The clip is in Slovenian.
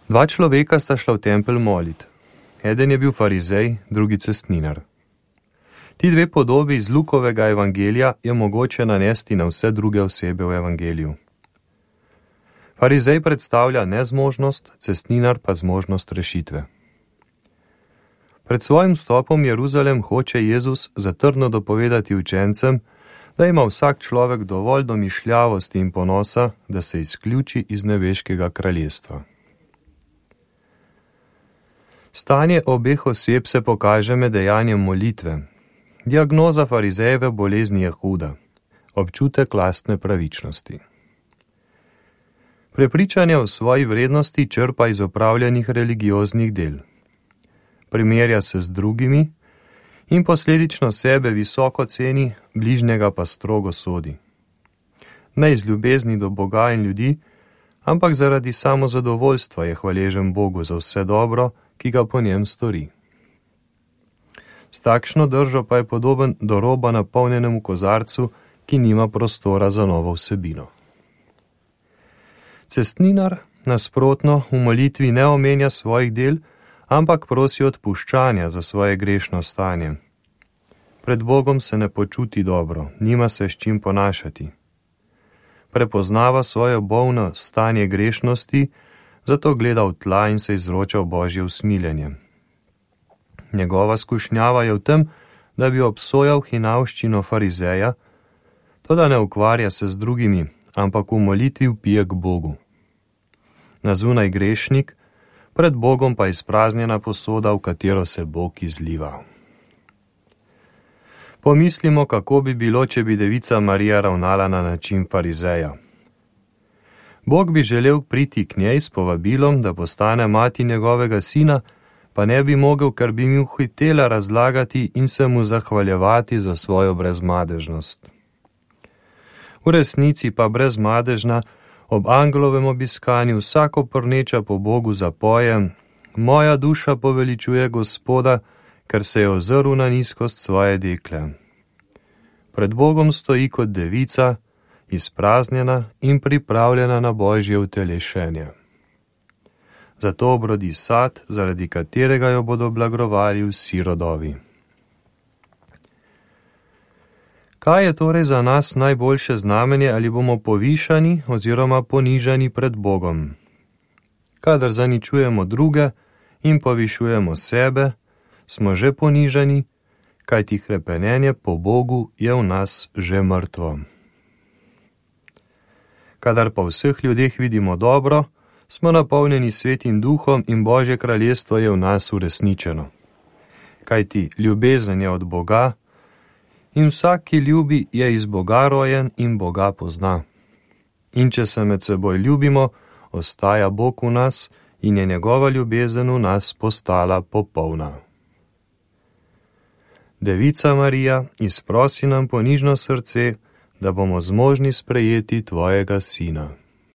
Dva človeka sta šla v tempelj molit. Eden je bil farizej, drugi cestninar. Ti dve podobi iz Lukovega evangelija je mogoče nanesti na vse druge osebe v evangeliju. Farizej predstavlja nezmožnost, cestninar pa zmožnost rešitve. Pred svojim vstopom v Jeruzalem hoče Jezus zatrdno dopovedati učencem, da ima vsak človek dovolj domišljavosti in ponosa, da se izključi iz nebeškega kraljestva. Stanje obeh oseb se pokaže med dejanjem molitve. Diagnoza farizejeve bolezni je huda, občutek lastne pravičnosti. Prepričanje o svoji vrednosti črpa iz opravljenih religioznih del. Primerja se z drugimi in posledično sebe visoko ceni, bližnjega pa strogo sodi. Ne iz ljubezni do Boga in ljudi, ampak zaradi samozadovoljstva je hvaležen Bogu za vse dobro, ki ga po njem stori. S takšno držo pa je podoben do roba napolnjenemu kozarcu, ki nima prostora za novo vsebino. Cestninar, nasprotno, v molitvi ne omenja svojih del, ampak prosi odpuščanja za svoje grešno stanje. Pred Bogom se ne počuti dobro, nima se s čim ponašati. Prepoznava svoje bolno stanje grešnosti, zato gleda v tla in se izroča v Božje usmiljenje. Njegova skušnjava je v tem, da bi obsojal hinavščino farizeja, toda ne ukvarja se z drugimi, ampak v molitvi vpije k Bogu. Na zunaj grešnik, pred Bogom pa izpraznjena posoda, v katero se Bog izliva. Pomislimo, kako bi bilo, če bi devica Marija ravnala na način farizeja. Bog bi želel priti k njej s povabilom, da postane mati njegovega sina, pa ne bi mogel, ker bi mi hitela razlagati in se mu zahvaljevati za svojo brezmadežnost. V resnici pa brezmadežna ob angelovem obiskanju vsako prneča po Bogu zapoje: moja duša poveličuje Gospoda, ker se je ozrl na nizkost svoje dekle. Pred Bogom stoji kot devica, izpraznjena in pripravljena na Božje utelešenje. Zato obrodi sad, zaradi katerega jo bodo blagrovali vsi rodovi. Kaj je torej za nas najboljše znamenje, ali bomo povišani oziroma ponižani pred Bogom? Kadar zaničujemo druge in povišujemo sebe, smo že ponižani, kajti hrepenenje po Bogu je v nas že mrtvo. Kadar pa v vseh ljudeh vidimo dobro, smo napolnjeni Svetim Duhom in Božje kraljestvo je v nas uresničeno. Kajti ljubezen je od Boga in vsak, ki ljubi, je iz Boga rojen in Boga pozna. In če se med seboj ljubimo, ostaja Bog v nas in je njegova ljubezen v nas postala popolna. Devica Marija, izprosi nam ponižno srce, da bomo zmožni sprejeti tvojega sina.